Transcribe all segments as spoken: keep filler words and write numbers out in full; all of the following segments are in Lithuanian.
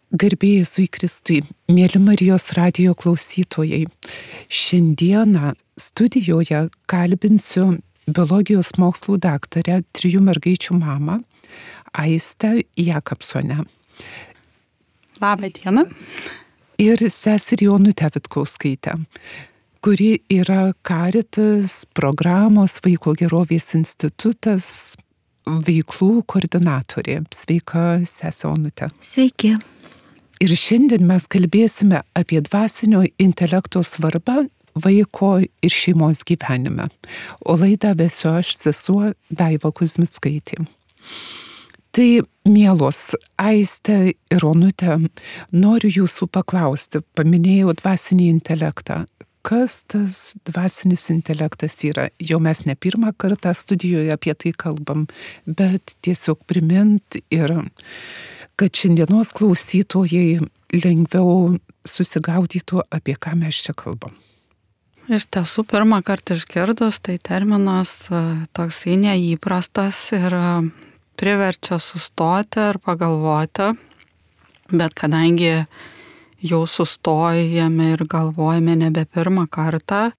Garbė Jėzui Kristui, mėly Marijos radijo klausytojai. Šiandieną studijoje kalbinsiu biologijos mokslų daktarę, trijų mergaičių mamą, Aistę Jakobsonę. Labą dieną. Ir seserį Onutę Vitkauskaitę, kuri yra Caritas programos Vaiko gerovės institutas veiklų koordinatorė. Sveika, sesė Onutė. Sveiki. Ir šiandien mes kalbėsime apie dvasinio intelekto svarbą vaiko ir šeimos gyvenime. O laidą vesiu aš, sesuo Daiva Kuzmickaitė. Tai, mielos Aistė ir Onutė, noriu jūsų paklausti, paminėjau dvasinį intelektą. Kas tas dvasinis intelektas yra? Jau mes ne pirmą kartą studijoje apie tai kalbam, bet tiesiog primint ir kad šiandienos klausytojai lengviau susigaudytų, apie ką mes čia kalbam. Iš tiesų, pirmą kartą išgirdus, tai terminas toksai neįprastas ir priverčia sustoti ir pagalvoti, bet kadangi jau sustojame ir galvojame nebe pirmą kartą,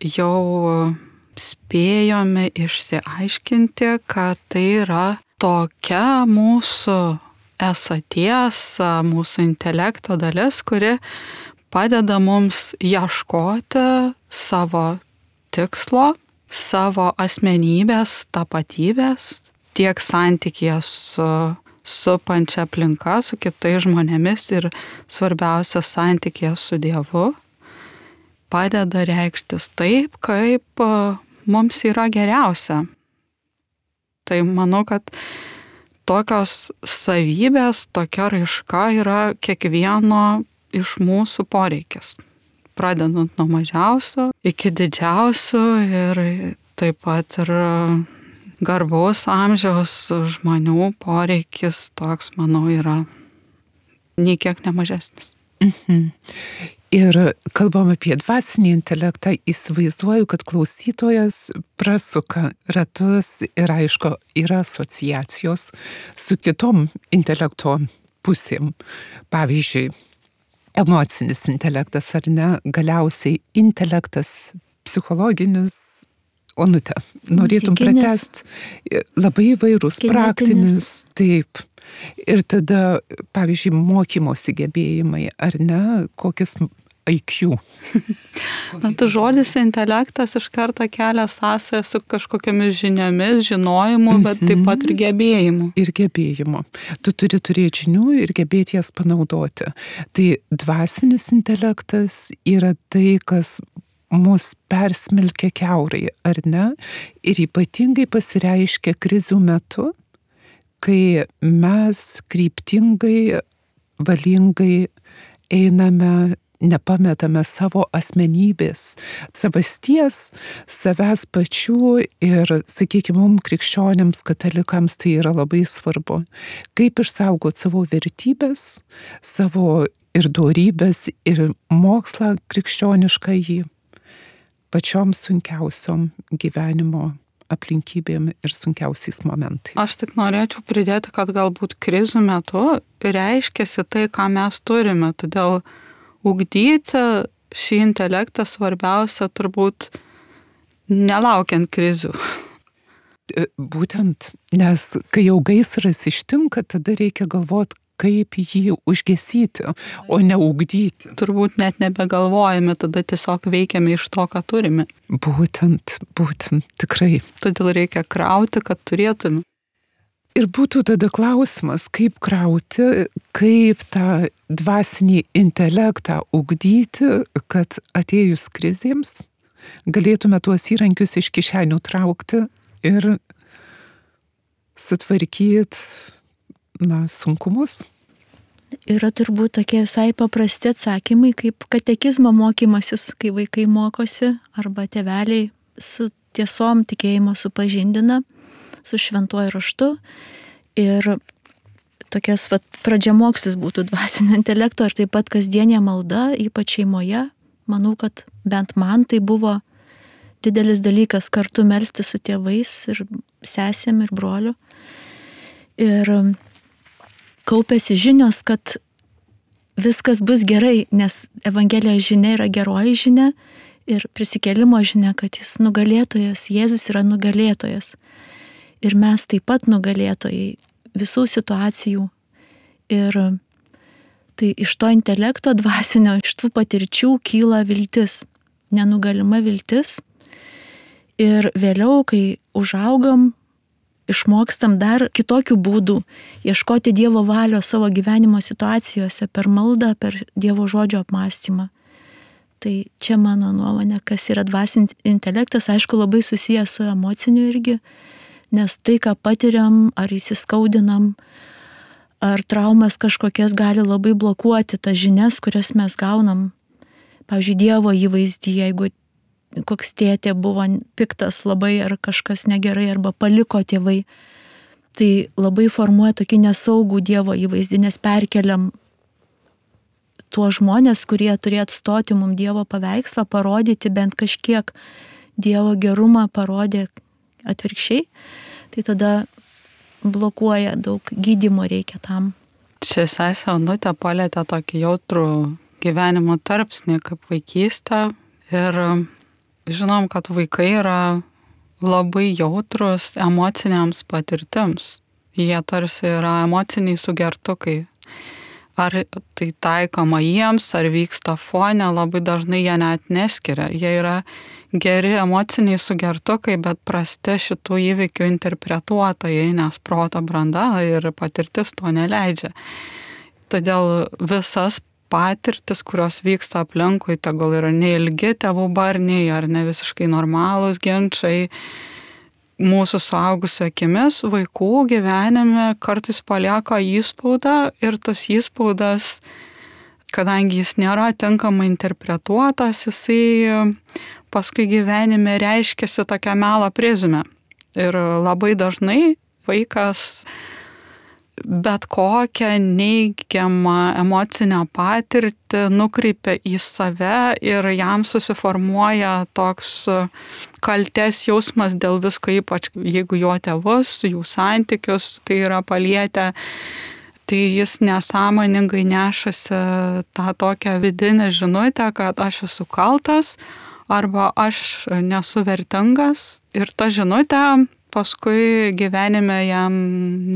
jau spėjome išsiaiškinti, kad tai yra tokia mūsų esaties, mūsų intelekto dalis, kuri padeda mums ieškoti savo tikslo, savo asmenybės, tapatybės, tiek santykėje su supančia aplinka, su kitais žmonėmis ir svarbiausia santykėje su Dievu, padeda reikštis taip, kaip mums yra geriausia. Tai manau, kad tokios savybės, tokia raiška yra kiekvieno iš mūsų poreikis. Pradedant nuo mažiausio iki didžiausio ir taip pat ir garbaus amžiaus žmonių poreikis toks, manau, yra nei kiek nemažesnis. Mhm. Ir kalbam apie dvasinį intelektą, įsivaizduoju, kad klausytojas prasuka ratus ir aišku, yra asociacijos su kitom intelekto pusėm. Pavyzdžiui, emocinis intelektas ar ne, galiausiai intelektas psichologinis. Onutė, norėtum pratęsti, labai įvairūs, praktinis, taip. Ir tada, pavyzdžiui, mokymosi gebėjimai, ar ne, kokias I Q. Na, tai žodis intelektas iš karto kelia sąsają su kažkokiamis žiniomis, žinojimu, bet mm-hmm. taip pat ir gebėjimu. Ir gebėjimu. Tu turi turėti žinių ir gebėti jas panaudoti. Tai dvasinis intelektas yra tai, kas mus persmelkia kiaurai, ar ne? Ir ypatingai pasireiškia krizių metu, kai mes kryptingai, valingai einame, nepametame savo asmenybės, savasties, savęs pačių ir, sakykime, mums krikščionims, katalikams tai yra labai svarbu. Kaip išsaugoti savo vertybės, savo ir dorybės, ir mokslą krikščionišką jį pačiom sunkiausiom gyvenimo aplinkybėm ir sunkiausiais momentais. Aš tik norėčiau pridėti, kad galbūt krizių metu reiškiasi tai, ką mes turime. Todėl ugdyti šį intelektą svarbiausia turbūt nelaukiant krizių. Būtent, nes kai jau gaisras ištinka, tada reikia galvoti, kaip jį užgesyti, o ne ugdyti. Turbūt net nebegalvojame, tada tiesiog veikiame iš to, ką turime. Būtent, būtent, tikrai. Todėl reikia krauti, kad turėtume. Ir būtų tada klausimas, kaip krauti, kaip tą dvasinį intelektą ugdyti, kad atėjus krizėms galėtume tuos įrankius iš kišenių traukti ir sutvarkyti, na, sunkumus. Yra turbūt tokie visai paprasti atsakymai, kaip katekizmo mokymasis, kai vaikai mokosi, arba tėveliai su tiesom tikėjimo supažindina, su šventuoju raštu. Ir tokias vat, pradžiamokslis būtų dvasinio intelekto ir taip pat kasdienė malda, ypač šeimoje. Manau, kad bent man tai buvo didelis dalykas kartu melstis su tėvais ir sesėm ir broliu. Ir kaupėsi žinios, kad viskas bus gerai, nes Evangelijos žinia yra geroji žinia ir prisikėlimo žinia, kad jis nugalėtojas, Jėzus yra nugalėtojas. Ir mes taip pat nugalėtojai visų situacijų. Ir tai iš to intelekto dvasinio, iš tų patirčių kyla viltis, nenugalima viltis. Ir vėliau, kai užaugam, išmokstam dar kitokių būdų ieškoti Dievo valios savo gyvenimo situacijose per maldą, per Dievo žodžio apmąstymą. Tai čia mano nuomonė, kas yra dvasinis intelektas, aišku, labai susijęs su emociniu irgi, nes tai, ką patiriam, ar įsiskaudinam, ar traumas kažkokias gali labai blokuoti tas žinias, kurias mes gaunam. Pavyzdžiui, Dievo įvaizdį, jeigu koks tėtė buvo piktas labai ar kažkas negerai, arba paliko tėvai, tai labai formuoja tokį nesaugų Dievo įvaizdį, nes perkeliam tuos žmonės, kurie turėjo atstoti mums Dievo paveikslą, parodyti bent kažkiek Dievo gerumą, parodė atvirkščiai, tai tada blokuoja, daug gydymo reikia tam. Čia sesė Onutė palietė tokį jautrų gyvenimo tarpsnį kaip vaikystę ir žinom, kad vaikai yra labai jautrus emociniams patirtims. Jie tarsi yra emociniai sugertukai. Ar tai taikoma jiems, ar vyksta fone, labai dažnai jie net neskiria. Jie yra geri emociniai sugertukai, bet prasti šitų įvykių interpretuotojai, nes proto branda ir patirtis to neleidžia. Todėl visas patirtis, kurios vyksta aplinkui, tegul yra neilgi tėvų barniai ar ne visiškai normalūs ginčai, mūsų suaugusių akimis vaikų gyvenime kartais palieka įspaudą ir tas įspaudas, kadangi jis nėra tinkamai interpretuotas, jisai paskui gyvenime reiškiasi tokia melo prizmė. Ir labai dažnai vaikas bet kokią neigiamą emocinę patirtį nukreipia į save ir jam susiformuoja toks kaltės jausmas dėl visko, ypač jeigu jo tėvus, jų santykius tai yra palietę, tai jis nesąmoningai nešasi tą tokią vidinę žinutę, kad aš esu kaltas arba aš nesu vertingas ir ta žinutė paskui gyvenime jam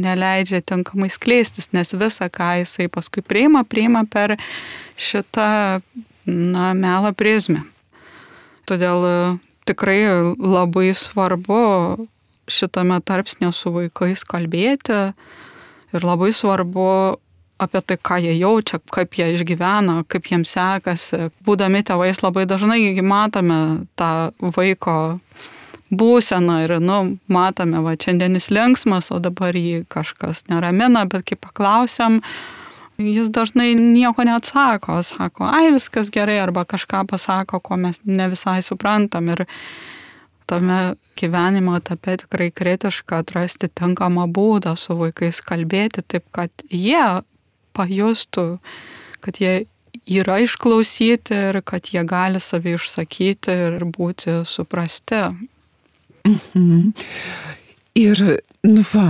neleidžia tinkamai skleistis, nes visą, ką jisai paskui priima, priima per šitą na, melo prizmę. Todėl tikrai labai svarbu šitame tarpsnė su vaikais kalbėti ir labai svarbu apie tai, ką jie jaučia, kaip jie išgyvena, kaip jiems sekasi. Būdami tėvais labai dažnai matome tą vaiko būseną ir, nu, matome, va, šiandienis linksmas, o dabar jį kažkas neramina, bet kai paklausiam, jis dažnai nieko neatsako, sako, ai, viskas gerai, arba kažką pasako, ko mes ne visai suprantam. Ir tame gyvenimo etape tikrai kritiška atrasti tinkamą būdą su vaikais kalbėti, taip, kad jie pajustų, kad jie yra išklausyti ir kad jie gali savį išsakyti ir būti suprasti. Mhm. Ir, nu va,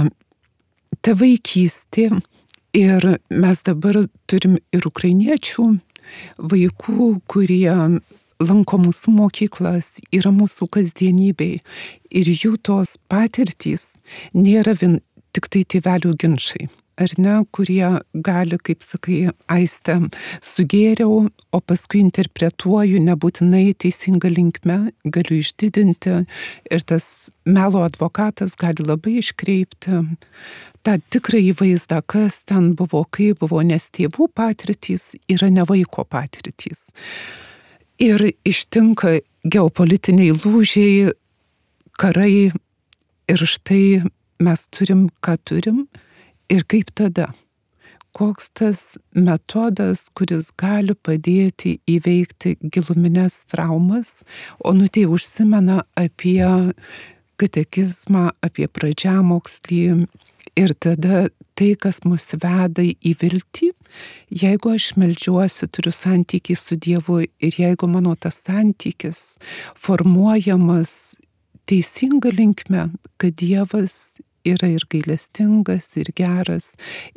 ta vaikystė, ir mes dabar turim ir ukrainiečių vaikų, kurie lanko mūsų mokyklas, yra mūsų kasdienybėj, ir jų tos patirtys nėra vien tik tai tėvelių ginčai. Ar ne, kurie gali, kaip sakai, Aiste, sugėriau, o paskui interpretuoju nebūtinai teisinga linkme, galiu išdidinti ir tas melo advokatas gali labai iškreipti tą tikrąjį vaizdą, kas ten buvo, kaip buvo, nes tėvų patirtys yra ne vaiko patirtys. Ir ištinka geopolitiniai lūžiai, karai ir štai mes turim, ką turim. Ir kaip tada? Koks tas metodas, kuris gali padėti įveikti giluminės traumas, o Onutė užsimena apie katekizmą, apie pradžiamokslį ir tada tai, kas mus veda į viltį. Jeigu aš meldžiuosi, turiu santykį su Dievu ir jeigu mano tas santykis formuojamas teisinga linkme, kad Dievas yra ir gailestingas, ir geras,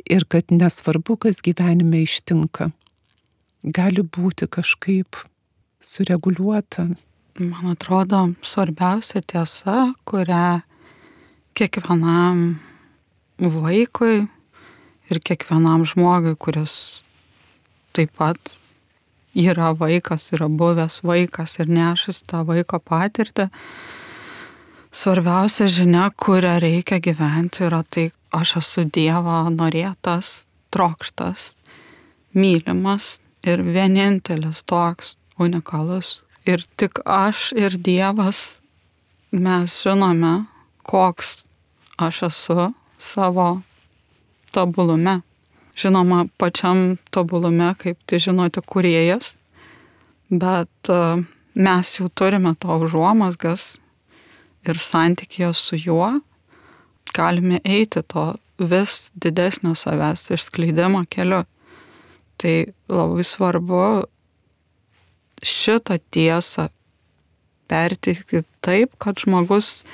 ir kad nesvarbu, kas gyvenime ištinka. gali būti kažkaip sureguliuota? Man atrodo, svarbiausia tiesa, kurią kiekvienam vaikui ir kiekvienam žmogui, kuris taip pat yra vaikas, yra buvęs vaikas ir nešas tą vaiko patirtį, svarbiausia žinia, kurią reikia gyventi, yra tai, aš esu Dievo norėtas, trokštas, mylimas ir vienintelis toks unikalus. Ir tik aš ir Dievas mes žinome, koks aš esu savo tobulume. Žinoma, pačiam tobulume, kaip tai žino tik kūrėjas, bet mes jau turime to užuomazgas ir santykėje su juo galime eiti to vis didesnio savęs išskleidimo keliu. Tai labai svarbu šitą tiesą perteikti taip, kad žmogus,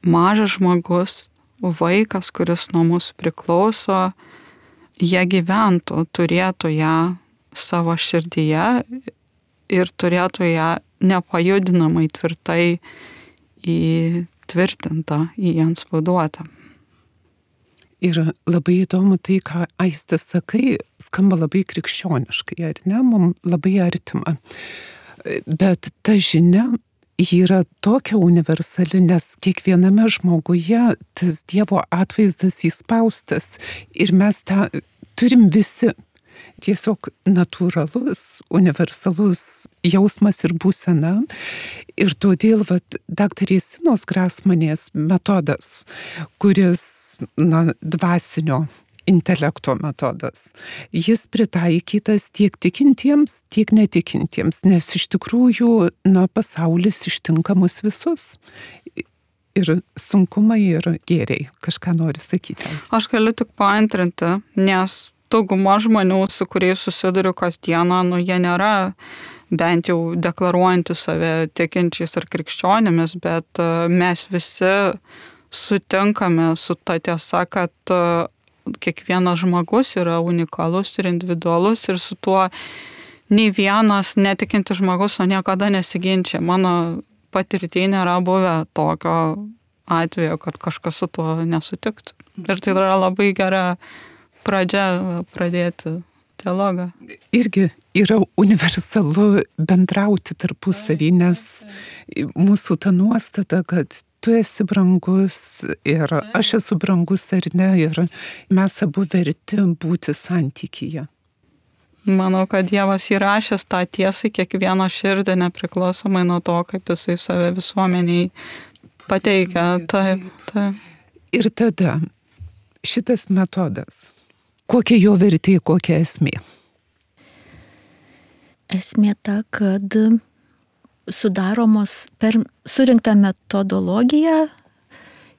mažas žmogus, vaikas, kuris nuo mūsų priklauso, jie gyventų, turėtų ją savo širdyje ir turėtų ją nepajudinamai tvirtai įtvirtintą, įantspauduotą. Ir labai įdomu tai, ką Aiste sakai, skamba labai krikščioniškai, ar ne, mums labai artima. Bet ta žinia, ji yra tokia universali, nes kiekviename žmoguje tas Dievo atvaizdas įspaustas ir mes tą turim visi. Tiesiog natūralus, universalus jausmas ir būsena. Ir todėl vat, daktarės Sinos Grasmanės metodas, kuris na, dvasinio intelekto metodas, jis pritaikytas tiek tikintiems, tiek netikintiems, nes iš tikrųjų na, pasaulis ištinka mus visus. Ir sunkumai, ir gėriai. Kažką noriu sakyti. Aš galiu tik paantrinti, nes dauguma žmonių, su kuriais susiduriu kasdieną, nu, jie nėra bent jau deklaruojantys save tikinčiais ar krikščionimis, bet mes visi sutinkame su ta tiesa, kad kiekvienas žmogus yra unikalus ir individualus ir su tuo nei vienas netikintis žmogus o niekada nesiginčia. Mano patirtyje nėra buvę tokio atvejo, kad kažkas su tuo nesutiktų. Ir tai yra labai gera pradžia pradėti dialogą. Irgi yra universalu bendrauti tarpusavį, nes mūsų ta nuostata, kad tu esi brangus ir aš esu brangus ar ne, ir mes abu verti būti santykyje. Manau, kad Dievas įrašęs tą tiesą kiekvieno širdį, nepriklausomai nuo to, kaip jisai save visuomeniai pateikia. Taip, taip. Ir tada šitas metodas, kokia jo vertė, kokia esmė? Esmė ta, kad sudaromos per surinktą metodologiją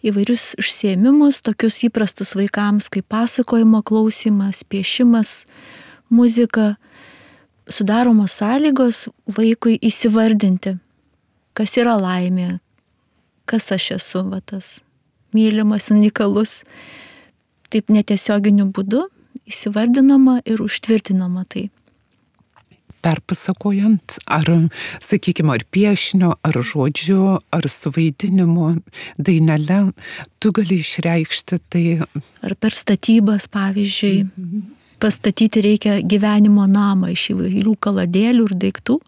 įvairius užsiėmimus, tokius įprastus vaikams kaip pasakojimo klausimas, piešimas, muzika, sudaromos sąlygos vaikui įsivardinti, kas yra laimė, kas aš esu, va, tas mylimas, unikalus. Taip netiesioginiu būdu įsivardinama ir užtvirtinama tai. Perpasakojant, ar, sakykime, ar piešinio, ar žodžiu, ar suvaidinimu, dainele, tu gali išreikšti tai. Ar per statybas, pavyzdžiui, mm-hmm. pastatyti reikia gyvenimo namą iš įvairių kaladėlių ir daiktų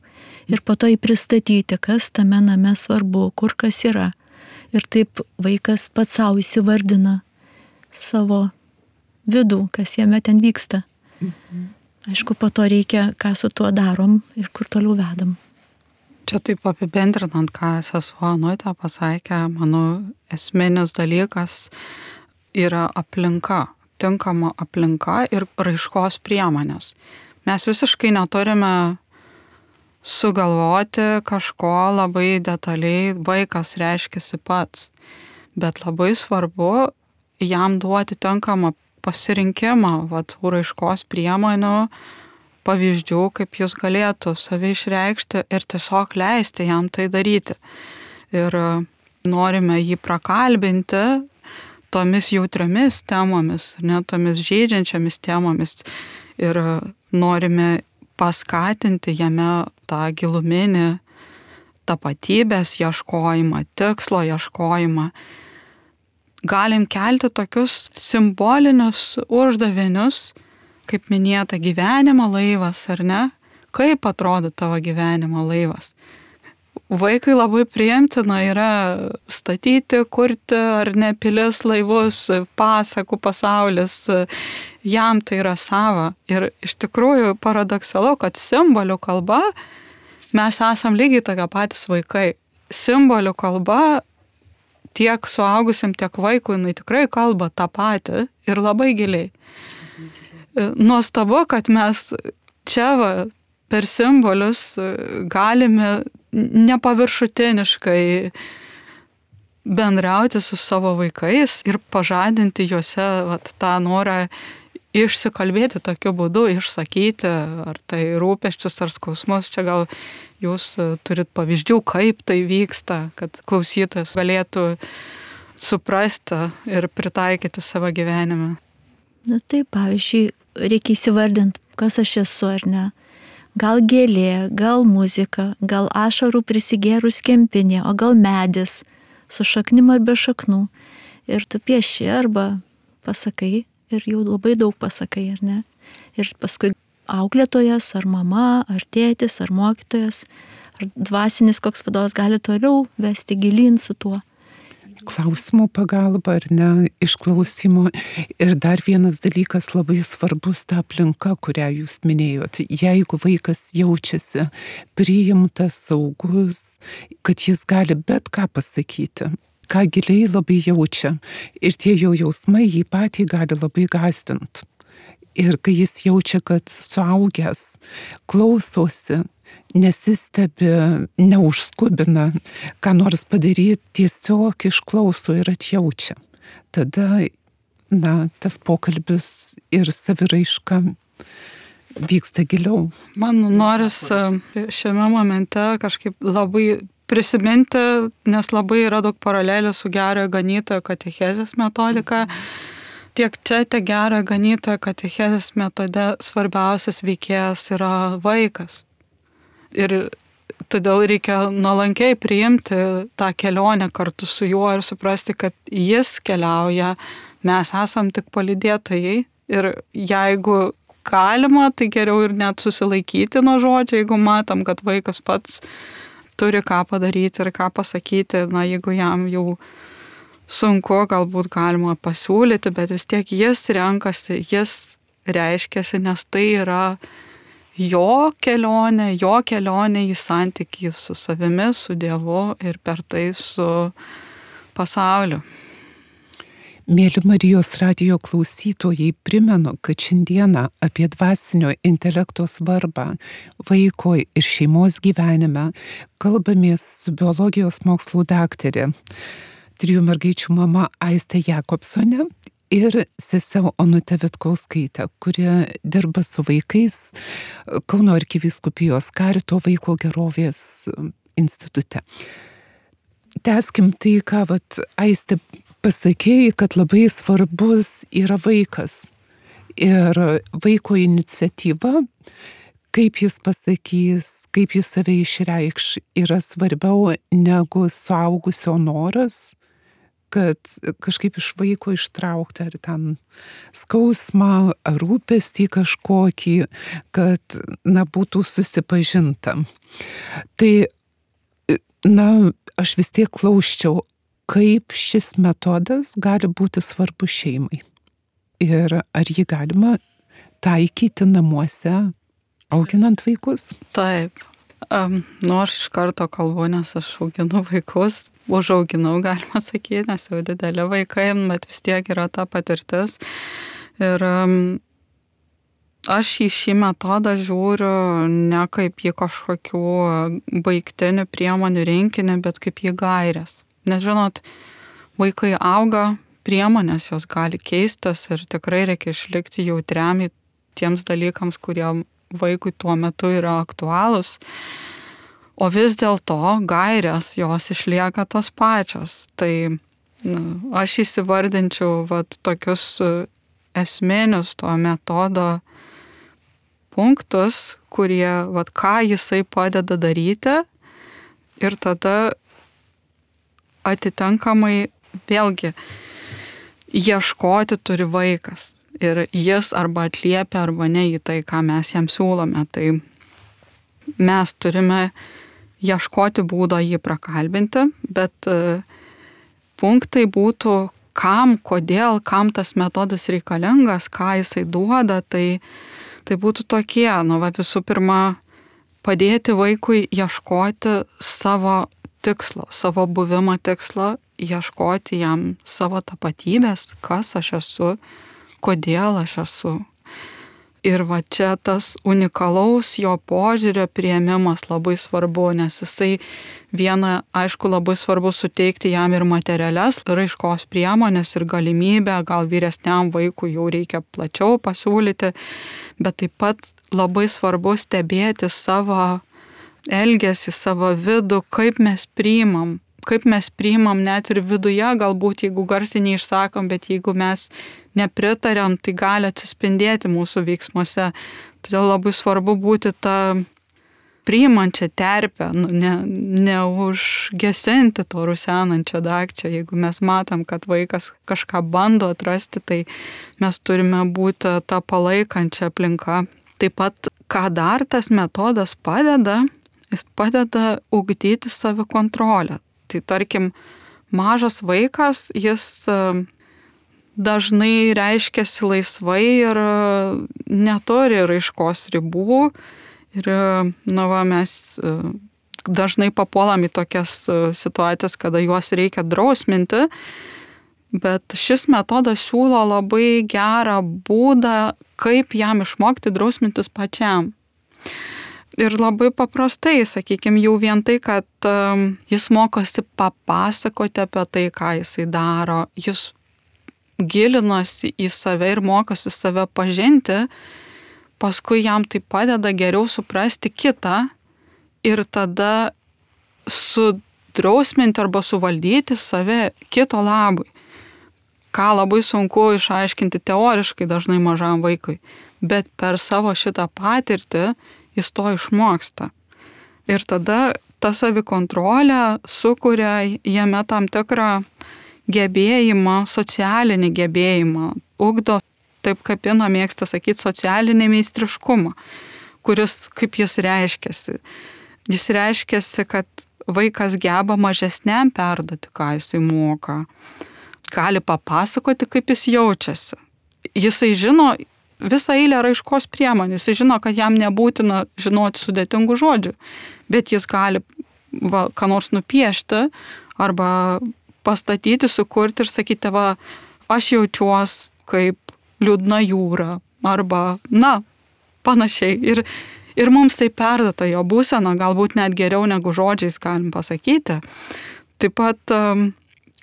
ir po to jį pristatyti, kas tame name svarbu, kur kas yra. Ir taip vaikas pats savo įsivardina savo vidų, kas jame ten vyksta. Mhm. Aišku, po to reikia, ką su tuo darom ir kur toliau vedam. Čia taip apibendrinant, ką sesuo Onutė pasakė, manau, esminis dalykas yra aplinka, tinkama aplinka ir raiškos priemonės. Mes visiškai neturime sugalvoti kažko labai detaliai, vaikas reiškiasi pats, bet labai svarbu jam duoti tinkamą pasirinkimą, vat, raiškos priemonių, pavyzdžių, kaip jis galėtų save išreikšti ir tiesiog leisti jam tai daryti. Ir norime jį prakalbinti tomis jautriomis temomis, ne tomis žeidžiančiamis temomis. Ir norime paskatinti jame tą giluminį tapatybės ieškojimą, tikslo ieškojimą. Galim kelti tokius simbolinius uždavinius, kaip minėta, gyvenimo laivas, ar ne? Kaip atrodo tavo gyvenimo laivas? Vaikai labai priimtina yra statyti, kurti ar ne pilis, laivus, pasakų pasaulis, jam tai yra sava. Ir iš tikrųjų paradoksalu, kad simbolių kalba mes esam lygiai tokie patys vaikai. Simbolių kalba tiek suaugusiam, tiek vaikui, jinai tikrai kalba tą patį ir labai giliai. Nuostabu, kad mes čia va, per simbolius galime nepaviršutiniškai bendrauti su savo vaikais ir pažadinti juose vat, tą norą išsikalbėti tokiu būdu, išsakyti, ar tai rūpesčius, ar skausmus. Čia gal jūs turit pavyzdžių, kaip tai vyksta, kad klausytojas galėtų suprasti ir pritaikyti savo gyvenime. Na taip, pavyzdžiui, reikia įsivardinti, kas aš esu ar ne. Gal gėlė, gal muzika, gal ašarų prisigėrus kempinė, o gal medis su šaknim ar be šaknų. Ir tu pieši arba pasakai ir jau labai daug pasakai, ar ne? Ir paskui auklėtojas, ar mama, ar tėtis, ar mokytojas, ar dvasinis koks vadovas gali toliau vesti gilyn su tuo. Klausimų pagalba, ar ne, išklausimo. Ir dar vienas dalykas labai svarbus, ta aplinka, kurią jūs minėjot. Jeigu vaikas jaučiasi priimtas, saugus, kad jis gali bet ką pasakyti, ką giliai labai jaučia. Ir tie jo jausmai jį patį gali labai gąsdinti. Ir kai jis jaučia, kad suaugęs klausosi, nesistebi, neužskubina, ką nors padaryti, tiesiog išklauso ir atjaučia. Tada, na, tas pokalbis ir saviraiška vyksta giliau. Man noris šiame momente kažkaip labai prisiminti, nes labai yra daug paralelių su gerojo ganytojo katechezės metodika. Tiek čia, tiek gerojo ganytojo katechezės metode svarbiausias veikėjas yra vaikas. Ir todėl reikia nuolankiai priimti tą kelionę kartu su juo ir suprasti, kad jis keliauja, mes esam tik palydėtojai. Ir jeigu galima, tai geriau ir net susilaikyti nuo žodžio, jeigu matom, kad vaikas pats turi ką padaryti ir ką pasakyti, na, jeigu jam jau sunku, galbūt galima pasiūlyti, bet vis tiek jis renkasi, jis reiškiasi, nes tai yra jo kelionė, jo kelionė į santykį su savimi, su Dievu ir per tai su pasauliu. Mėly Marijos radijo klausytojai, primenu, kad šiandieną apie dvasinio intelekto svarbą vaiko ir šeimos gyvenime kalbamės su biologijos mokslų daktarė, trijų mergaičių mama Aistė Jakobsonė ir sesė Onutė Vitkauskaitė, kuri dirba su vaikais Kauno arkivyskupijos Karito vaiko gerovės institute. Tęskim tai, ką vat, Aistė pasakėjai, kad labai svarbus yra vaikas ir vaiko iniciatyva, kaip jis pasakys, kaip jis save išreikš, yra svarbiau negu suaugusio noras, kad kažkaip iš vaiko ištraukti ar ten skausmą, ar rūpestį kažkokį, kad, na, būtų susipažinta. Tai, na, aš vis tiek klausčiau, kaip šis metodas gali būti svarbus šeimai. Ir ar jį galima taikyti namuose, auginant vaikus? Taip. Um, nu, aš iš karto kalbu, nes aš auginu vaikus. Užauginau, galima sakyti, nes jau dideli vaikai, bet vis tiek yra ta patirtis. Ir um, aš į šį metodą žiūriu ne kaip į kažkokių baigtinių priemonių rinkinį, bet kaip į gaires. Nes žinot, vaikai auga, priemonės jos gali keistis ir tikrai reikia išlikti jautriam tiems dalykams, kurie vaikui tuo metu yra aktualūs. O vis dėlto gairės jos išlieka tos pačios. Tai na, aš įsivardinčiau vat, tokius esminius to metodo punktus, kurie, vat, ką jisai padeda daryti ir tada atitinkamai vėlgi ieškoti turi vaikas. Ir jis arba atliepia, arba ne į tai, ką mes jam siūlome. Tai mes turime ieškoti būdo jį prakalbinti, bet punktai būtų, kam, kodėl, kam tas metodas reikalingas, ką jisai duoda, tai, tai būtų tokie, nu, va, visų pirma, padėti vaikui ieškoti savo tikslo, savo buvimo tikslo, ieškoti jam savo tapatybės, kas aš esu, kodėl aš esu. Ir va čia tas unikalaus jo požiūrio priėmimas labai svarbu, nes jisai viena, aišku, labai svarbu suteikti jam ir materialias raiškos priemonės ir galimybę, gal vyresniam vaikui jau reikia plačiau pasiūlyti, bet taip pat labai svarbu stebėti savo elgesį, savo vidų, kaip mes priimam, kaip mes priimam net ir viduje, galbūt jeigu garsiai neišsakom, bet jeigu mes nepritariam, tai gali atsispindėti mūsų veiksmuose. Todėl labai svarbu būti tą priimančią terpę, nu, ne, neužgesinti to rusenančio dagčio. Jeigu mes matom, kad vaikas kažką bando atrasti, tai mes turime būti tą palaikančią aplinką. Taip pat, ką dar tas metodas padeda, jis padeda ugdyti savikontrolę. Tai tarkim, mažas vaikas, jis dažnai reiškiasi laisvai ir neturi raiškos ribų. Ir, nu, va, mes dažnai papuolam į tokias situacijas, kada juos reikia drausminti, bet šis metodas siūlo labai gerą būdą, kaip jam išmokti drausmintis pačiam. Ir labai paprastai, sakykime, jau vien tai, kad um, jis mokosi papasakoti apie tai, ką jisai daro, jis gilinosi į save ir mokosi save pažinti, paskui jam tai padeda geriau suprasti kitą ir tada sudrausminti arba suvaldyti save kito labui, ką labai sunku išaiškinti teoriškai dažnai mažam vaikui, bet per savo šitą patirtį jis to išmoksta. Ir tada ta savikontrolė sukuria jame tam tikrą gebėjimą, socialinį gebėjimą, ugdo, taip kaip Ina mėgsta sakyti, socialinį meistriškumą, kuris, kaip jis reiškiasi. Jis reiškiasi, kad vaikas geba mažesniam perduoti, ką jisai moka. Gali papasakoti, kaip jis jaučiasi. Jisai žino visą eilę raiškos priemonių. Jis žino, kad jam nebūtina žinoti sudėtingų žodžių, bet jis gali va, ką nors nupiešti arba pastatyti, sukurti ir sakyti, va, aš jaučiuos kaip liūdna jūra arba, na, panašiai. Ir, ir mums tai perduota jo būsena, galbūt net geriau negu žodžiais galim pasakyti. Taip pat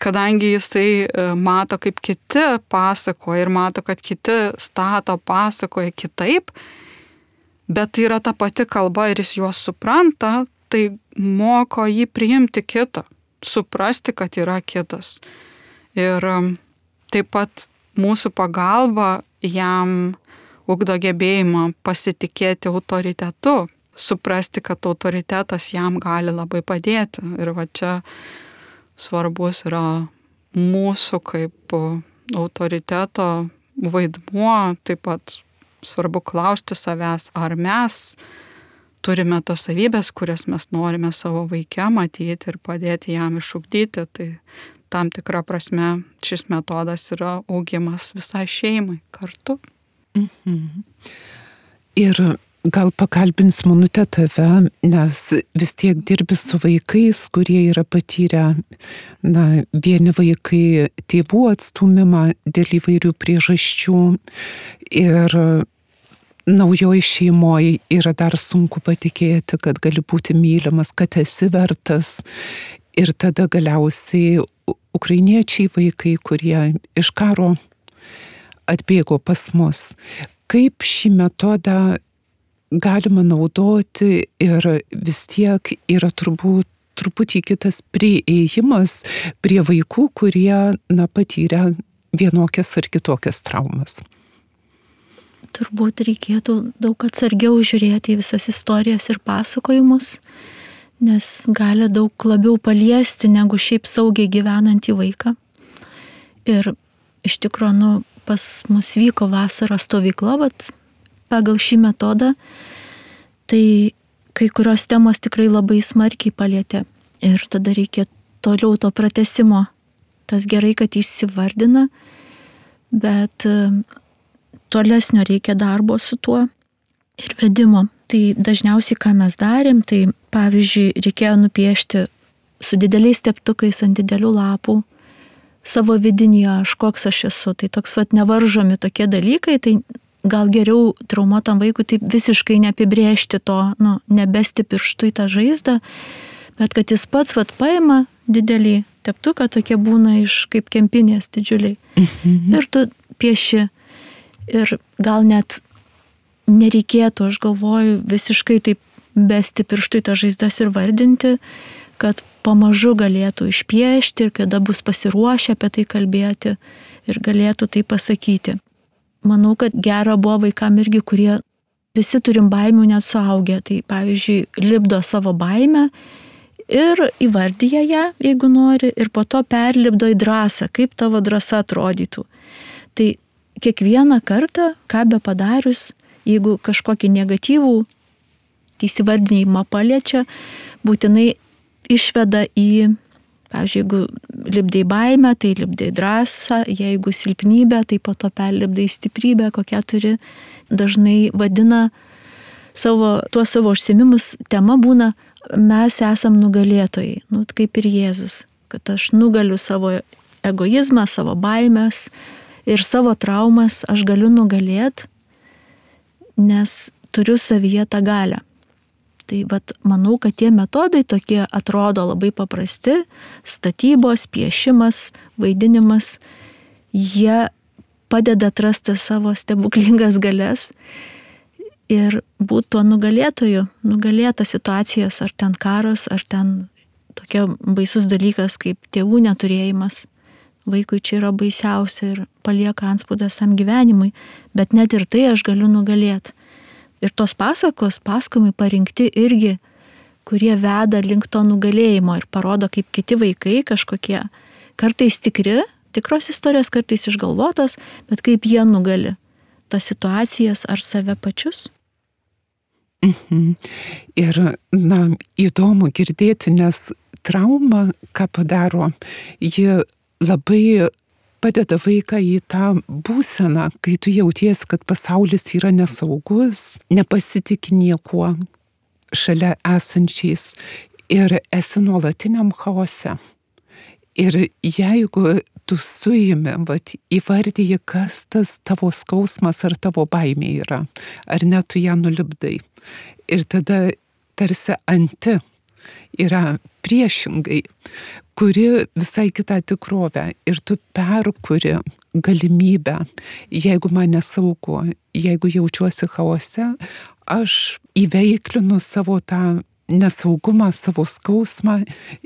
kadangi jisai mato, kaip kiti pasakoja ir mato, kad kiti stato pasakoja kitaip, bet tai yra ta pati kalba ir jis juos supranta, tai moko jį priimti kitą, suprasti, kad yra kitas. Ir taip pat mūsų pagalba jam ugdo gebėjimą pasitikėti autoritetu, suprasti, kad autoritetas jam gali labai padėti. Ir va čia svarbus yra mūsų kaip autoriteto vaidmuo, taip pat svarbu klausti savęs, ar mes turime tas savybės, kurias mes norime savo vaike matyti ir padėti jam išugdyti. Tai tam tikra prasme šis metodas yra augimas visai šeimai kartu. Mhm. Ir gal pakalbins Monutė tave, nes vis tiek dirbi su vaikais, kurie yra patyrę, na, vieni vaikai tėvų atstūmimą dėl įvairių priežasčių ir naujoj šeimoje yra dar sunku patikėti, kad gali būti mylimas, kad esi vertas. Ir tada galiausiai ukrainiečiai vaikai, kurie iš karo atbėgo pas mus. Kaip šį metodą galima naudoti ir vis tiek yra turbūt truputį kitas priėjimas prie vaikų, kurie, na, patyrė vienokias ar kitokias traumas. turbūt reikėtų daug atsargiau žiūrėti į visas istorijas ir pasakojimus, nes gali daug labiau paliesti negu šiaip saugiai gyvenantį vaiką. Ir iš tikrųjų, nu, pas mus vyko vasaros stovykla, vat, pagal šį metodą, tai kai kurios temos tikrai labai smarkiai palietė. Ir tada reikia toliau to pratęsimo. Tas gerai, kad išsivardina, bet tolesnio reikia darbo su tuo ir vedimo. Tai dažniausiai, ką mes darėm, tai pavyzdžiui, reikėjo nupiešti su dideliais teptukais ant didelių lapų savo vidinį aš, koks aš esu. Tai toks vat nevaržomi tokie dalykai, tai gal geriau traumuotam vaikui taip visiškai neapibrėžti to, nu, nebesti pirštų į tą žaizdą, bet kad jis pats vat paima didelį teptuką, tokie būna iš kaip kempinės didžiuliai. Mhm. Ir tu pieši. Ir gal net nereikėtų, aš galvoju, visiškai taip besti pirštų į tą žaizdas ir vardinti, kad pamažu galėtų išpiešti ir kada bus pasiruošę apie tai kalbėti ir galėtų tai pasakyti. Manau, kad gera buvo vaikam irgi, kurie visi turim baimių net suaugę. Tai pavyzdžiui, lipdo savo baimę ir įvardyja ją, jeigu nori, ir po to perlipdo į drąsą, kaip tavo drąsa atrodytų. Tai kiekvieną kartą, ką be padarius, jeigu kažkokį negatyvų įsivardinimą paliečia, būtinai išveda į, pavyzdžiui, jeigu lipdai baimę, tai lipdai drąsą, jeigu silpnybę, tai po to perlipdai stiprybę, kokią turi. Dažnai vadina savo, tuos savo užsiėmimus, tema būna, mes esam nugalėtojai, nu, kaip ir Jėzus, kad aš nugaliu savo egoizmą, savo baimės ir savo traumas aš galiu nugalėti, nes turiu savyje tą galią. Tai vat, manau, kad tie metodai tokie atrodo labai paprasti, statybos, piešimas, vaidinimas, jie padeda atrasti savo stebuklingas galias ir būti tuo nugalėtoju, nugalėta situacijas, ar ten karas, ar ten tokia baisus dalykas kaip tėvų neturėjimas. Vaikui čia yra baisiausia ir palieka antspaudas tam gyvenimui, bet net ir tai aš galiu nugalėti. Ir tos pasakos, pasakojimai parinkti irgi, kurie veda link to nugalėjimo ir parodo, kaip kiti vaikai kažkokie, kartais tikri, tikros istorijos, kartais išgalvotos, bet kaip jie nugali tas situacijas ar save pačius. Mhm. Ir, na, įdomu girdėti, nes trauma, ką padaro, ji labai padeda vaiką į tą būseną, kai tu jauties, kad pasaulis yra nesaugus, nepasitik niekuo šalia esančiais ir esi nuolatiniam chaose. Ir jeigu tu suimi, vat, įvardyji, kas tas tavo skausmas ar tavo baimė yra, ar net tu ją nulipdai. Ir tada tarsi anti yra priešingai, kuri visai kitą tikrovę ir tu perkuri galimybę, jeigu man nesaugu, jeigu jaučiuosi chaose, aš įveiklinu savo tą nesaugumą, savo skausmą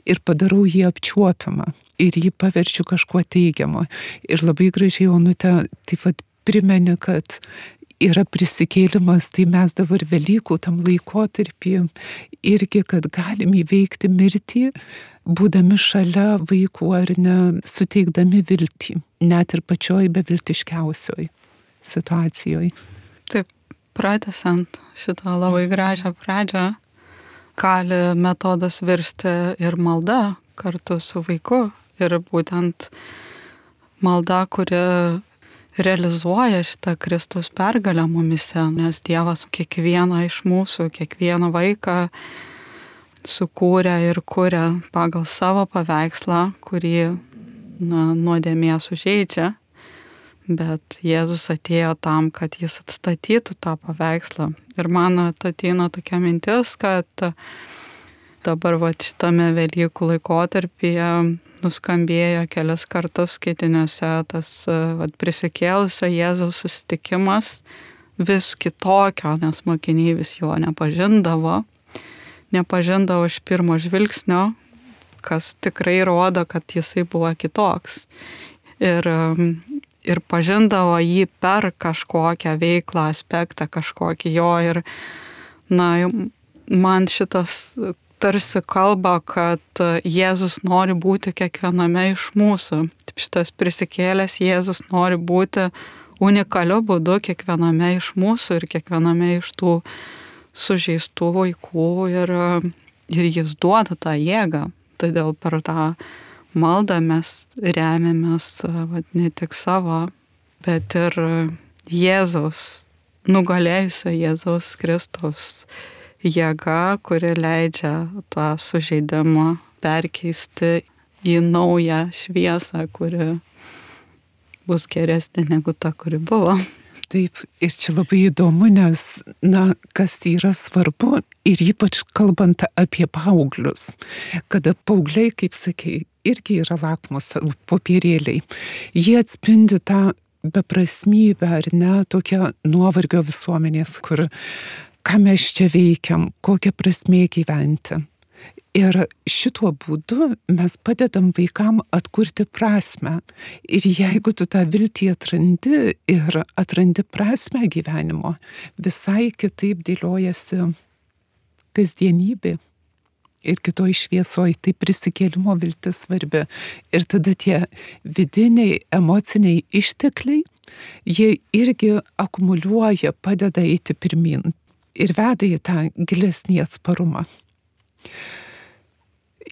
ir padarau jį apčiuopiamą ir jį paverčiu kažkuo teigiamo. Ir labai gražiai, Onute, taip pat primeni, kad yra prisikėlimas, tai mes dabar Velykų tam laikotarpį irgi, kad galim įveikti mirtį, būdami šalia vaikų ar ne, suteikdami viltį, net ir pačioj beviltiškiausioj situacijoje. Taip, pratęsiant šitą labai gražią pradžią, gali metodas virsti ir malda kartu su vaiku. Ir būtent malda, kuri realizuoja šitą Kristaus pergalę mumise, nes Dievas kiekvieną iš mūsų, kiekvieną vaiką sukūrė ir kuria pagal savo paveikslą, kurį na, nuodėmė sužeidžia, bet Jėzus atėjo tam, kad jis atstatytų tą paveikslą. Ir man ateina tokia mintis, kad dabar va, šitame Velykų laikotarpyje nuskambėjo kelias kartus skaitiniuose tas va, prisikėlusio Jėzaus susitikimas vis kitokio, nes mokiniai vis jo nepažindavo, nepažindavo iš pirmo žvilgsnio, kas tikrai rodo, kad jisai buvo kitoks. Ir ir pažindavo jį per kažkokią veiklą, aspektą kažkokį jo. Ir na, man šitas tarsi kalba, kad Jėzus nori būti kiekviename iš mūsų. Taip šitas prisikėlęs Jėzus nori būti unikaliu būdu kiekviename iš mūsų ir kiekviename iš tų sužeistų vaikų ir, ir jis duoda tą jėgą. Todėl per tą maldą mes remiamės vat, ne tik savo, bet ir Jėzaus, nugalėjusio Jėzaus Kristaus jėga, kuri leidžia tą sužeidimą perkeisti į naują šviesą, kuri bus geresnė negu ta, kuri buvo. Taip, ir čia labai įdomu, nes, na, kas yra svarbu, ir ypač kalbant apie paauglius, kada paaugliai, kaip sakei, irgi yra lakmuso popierėliai. Jie atspindi tą beprasmybę, ar ne, tokią nuovargio visuomenės, kur ką mes čia veikiam, kokią prasmė gyventi. Ir šituo būdu mes padedam vaikam atkurti prasmę. Ir jeigu tu tą viltį atrandi ir atrandi prasmę gyvenimo, visai kitaip dėliojasi kasdienybė. Ir kitoj šviesoj tai prisikėlimo viltis svarbi. Ir tada tie vidiniai, emociniai ištekliai, jie irgi akumuliuoja, padeda eiti pirmin ir veda į tą gilesnį atsparumą.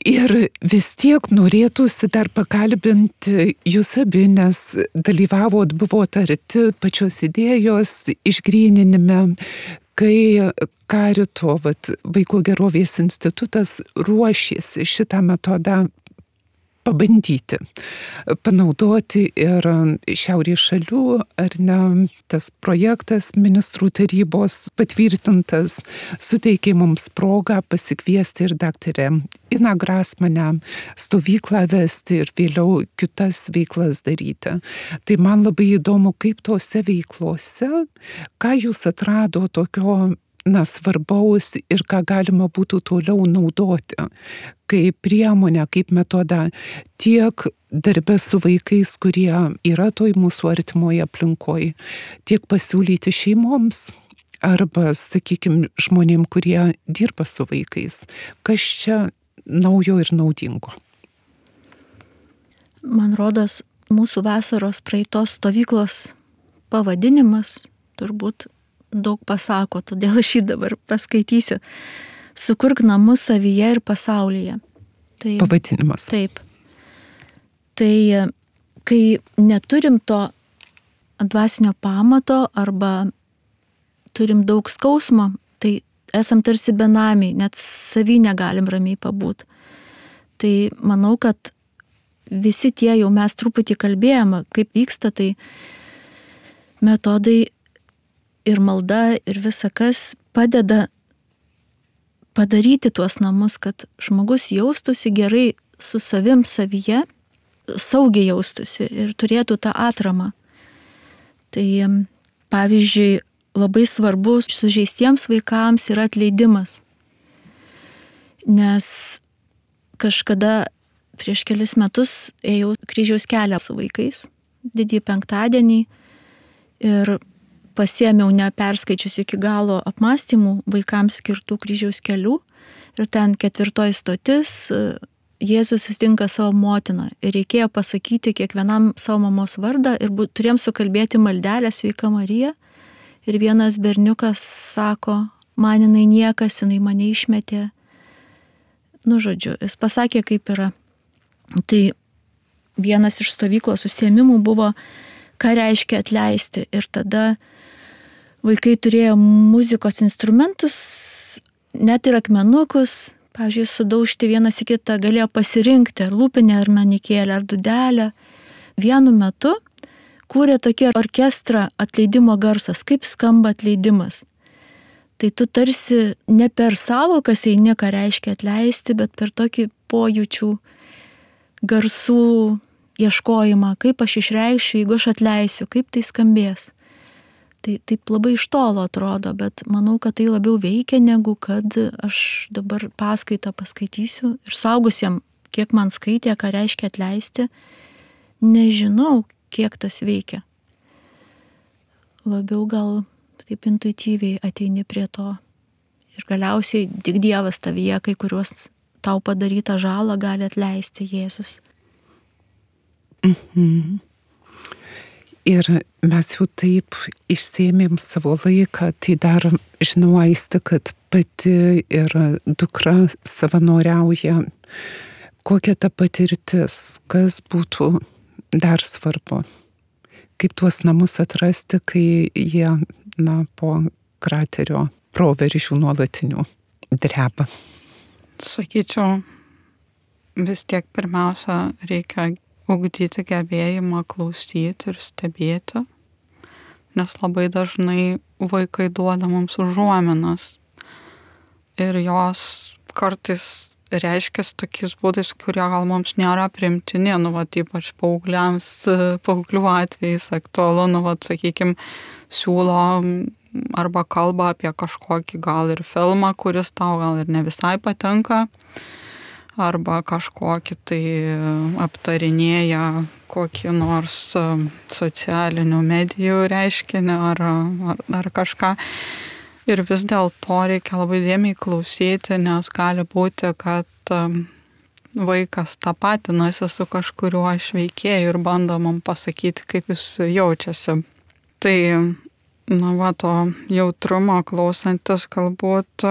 Ir vis tiek norėtųsi dar pakalbinti jūs abi, nes dalyvavot, buvot arti pačios idėjos išgryninime, kai Karito, vat, Vaiko gerovės institutas ruošėsi šitą metodą pabandyti, panaudoti ir šiaurės šalių, ar ne, tas projektas ministrų tarybos patvirtintas suteikė mums progą pasikviesti ir daktarę Iną Grasmanę stovyklą vesti ir vėliau kitas veiklas daryti. Tai man labai įdomu, kaip tose veiklose, ką jūs atrado tokio na, svarbaus ir ką galima būtų toliau naudoti kaip priemonę, kaip metodą tiek darbe su vaikais, kurie yra toj mūsų artimoje aplinkoje, tiek pasiūlyti šeimoms arba, sakykime, žmonėm, kurie dirba su vaikais. Kas čia naujo ir naudingo? Man rodos, mūsų vasaros praeitos stovyklos pavadinimas turbūt daug pasako, todėl aš jį dabar paskaitysiu. Sukurk namus savyje ir pasaulyje. Tai, pavadinimas. Taip. Tai kai neturim to dvasinio pamato arba turim daug skausmo, tai esam tarsi benamiai, net savy negalim ramiai pabūt. Tai manau, kad visi tie jau mes truputį kalbėjome, kaip vyksta, tai metodai ir malda ir visa kas padeda padaryti tuos namus, kad žmogus jaustųsi gerai su savim savyje, saugiai jaustųsi ir turėtų tą atramą. Tai pavyzdžiui, labai svarbu sužeistiems vaikams yra atleidimas. Nes kažkada prieš kelis metus ėjau kryžiaus kelią su vaikais, didįjį penktadienį, ir pasiėmiau neperskaičius iki galo apmąstymų vaikams skirtų kryžiaus kelių. Ir ten ketvirtoji stotis, Jėzus susitinka savo motiną. Ir reikėjo pasakyti kiekvienam savo mamos vardą ir turėjom sukalbėti maldelę Sveika Marija. Ir vienas berniukas sako, man jinai niekas, jinai mane išmetė. Nu, žodžiu, jis pasakė, kaip yra. Tai vienas iš stovyklos užsiėmimų buvo, ką reiškia atleisti. Ir tada vaikai turėjo muzikos instrumentus, net ir akmenukus, pavyzdžiui, sudaužti vienas į kitą, galėjo pasirinkti ar lūpinę, ar manikėlę, ar dudelę. Vienu metu kūrė tokį orkestrą atleidimo garsas, kaip skamba atleidimas. Tai tu tarsi ne per savokas eini, ką reiškia atleisti, bet per tokį pojūčių garsų ieškojimą, kaip aš išreikšiu, jeigu aš atleisiu, kaip tai skambės. Tai taip labai iš tolo atrodo, bet manau, kad tai labiau veikia, negu kad aš dabar paskaitą paskaitysiu. Ir suaugusiem, kiek man skaitė, ką reiškia atleisti, nežinau, kiek tas veikia. labiau gal taip intuityviai ateini prie to. Ir galiausiai tik Dievas tavyje kai kuriuos tau padarytą žalą gali atleisti Jėzus. Mhm. Ir mes jau taip išsėmėm savo laiką, tai dar žinau, Aiste, kad pati ir dukra savanoriauja. Kokia ta patirtis, kas būtų dar svarbu? Kaip tuos namus atrasti, kai jie, na, po kraterio proveržių nuolatinių dreba? Sakyčiau, vis tiek pirmiausia reikia ugdyti gebėjimą klausyti ir stebėti, nes labai dažnai vaikai duoda mums užuominas ir jos kartais reiškiasi tokiais būdais, kurie gal mums nėra priimtini, nu, vat, ypač paaugliams, paauglių atvejais aktualu, nu, vat, sakykime, siūlo arba kalba apie kažkokį gal ir filmą, kuris tau gal ir ne visai patinka, arba kažkokį tai aptarinėja kokį nors socialinių medijų reiškinį ar, ar, ar kažką. Ir vis dėlto reikia labai dėmiai klausyti, nes gali būti, kad vaikas tapatinasi su kažkuriuo iš veikėjų ir bando man pasakyti, kaip jis jaučiasi. Tai, na, va, to jautrumo klausantis galbūt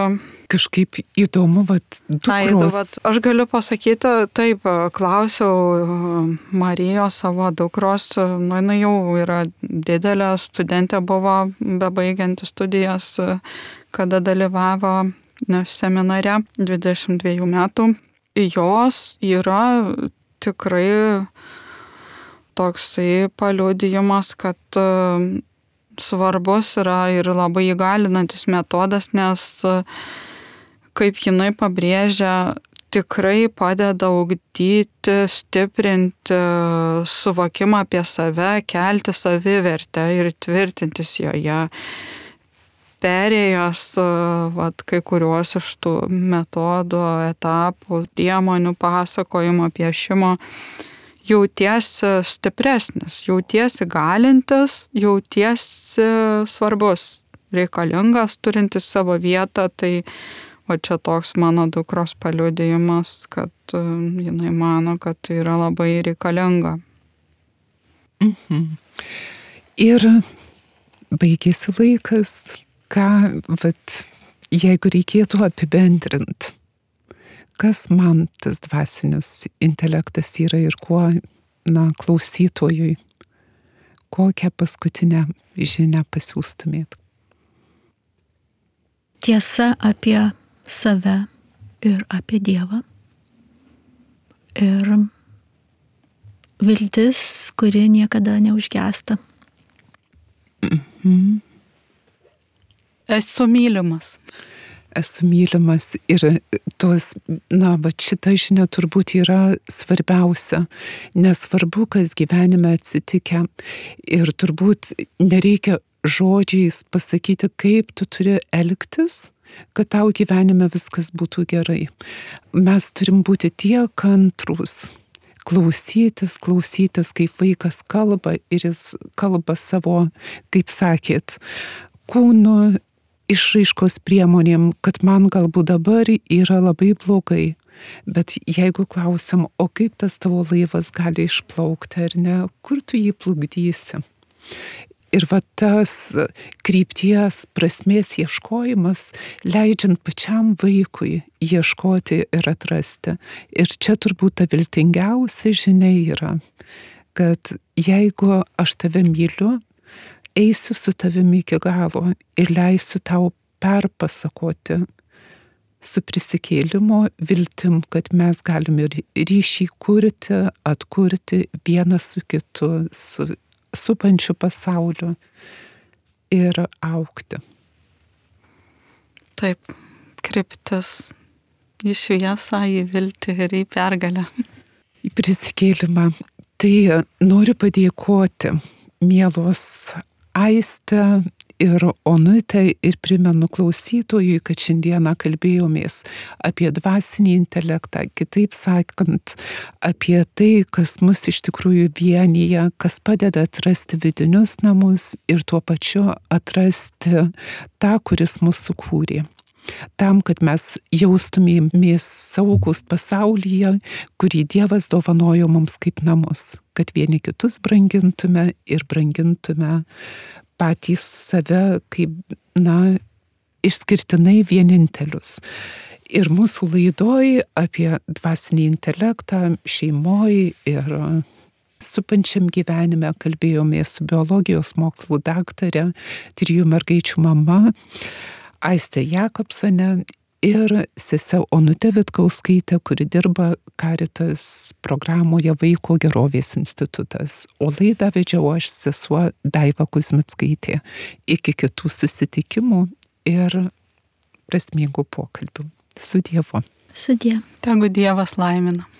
kažkaip įdomu, vat, dukros. Tai, vat, aš galiu pasakyti, taip, klausiau Marijos savo dukros, nu, jinai jau yra didelė studentė, buvo bebaigianti studijas, kada dalyvavo seminare dvidešimt dviejų metų. Jos yra tikrai toksai paliudijimas, kad svarbus yra ir labai įgalinantis metodas, nes kaip jinai pabrėžia, tikrai padeda ugdyti, stiprinti suvokimą apie save, kelti savivertę ir tvirtintis joje. Perėjęs vat, kai kuriuos iš tų metodų, etapų, priemonių, pasakojimo, piešimo, jautiesi stipresnis, jautiesi galintis, jautiesi svarbus, reikalingas, turintis savo vietą. Tai o čia toks mano dukros paliudijimas, kad jinai mano, kad tai yra labai reikalinga. Mhm. Ir baigėsi laikas, ką, vat, jeigu reikėtų apibendrinti, kas man tas dvasinis intelektas yra ir kuo, na, klausytojui, kokią paskutinę žinią pasiūstumėt? Tiesa apie save ir apie Dievą. Ir viltis, kuri niekada neužgęsta. Mhm. Esu mylimas. Esu mylimas ir tos, na, va, šita žinia turbūt yra svarbiausia. Nesvarbu, kas gyvenime atsitikę. Ir turbūt nereikia žodžiais pasakyti, kaip tu turi elgtis, kad tau gyvenime viskas būtų gerai. Mes turim būti tie kantrus, klausytis, klausytis, kaip vaikas kalba ir jis kalba savo, kaip sakėt, kūnu, išraiškos priemonėm, kad man galbūt dabar yra labai blogai. Bet jeigu klausim, o kaip tas tavo laivas gali išplaukti ar ne, kur tu jį plukdysi? Ir va tas krypties prasmės ieškojimas, leidžiant pačiam vaikui ieškoti ir atrasti. Ir čia turbūt ta viltingiausia žinia yra, kad jeigu aš tave myliu, eisiu su tavimi iki galo ir leisiu tau perpasakoti su prisikėlimo viltim, kad mes galime ryšį kurti, atkurti vienas su kitu, su supančiu pasauliu ir augti. Taip, kryptis į šviesą, į viltį ir į pergalę. Į prisikėlimą. Tai noriu padėkoti mielos Aiste ir Onutę ir primenu klausytojui, kad šiandieną kalbėjomės apie dvasinį intelektą, kitaip sakant, apie tai, kas mus iš tikrųjų vienyje, kas padeda atrasti vidinius namus ir tuo pačiu atrasti tą, kuris mus sukūrė. Tam, kad mes jaustumėmės saugus pasaulyje, kurį Dievas dovanojo mums kaip namus, kad vieni kitus brangintume ir brangintume patys save kaip, na, išskirtinai vienintelius. Ir mūsų laidoj apie dvasinį intelektą šeimoj ir supančiam gyvenime kalbėjomės su biologijos mokslų daktare, trijų mergaičių mama, Aiste Jakobsone ir sese Onute Vitkauskaite, kuri dirba Caritas programoje Vaiko gerovės institutas. O laidą vedžiau aš, sesuo Daiva Kuzmickaitė. Iki kitų susitikimų ir prasmingų pokalbių. Su Dievu. Sudie. Tegu Dievas laimina.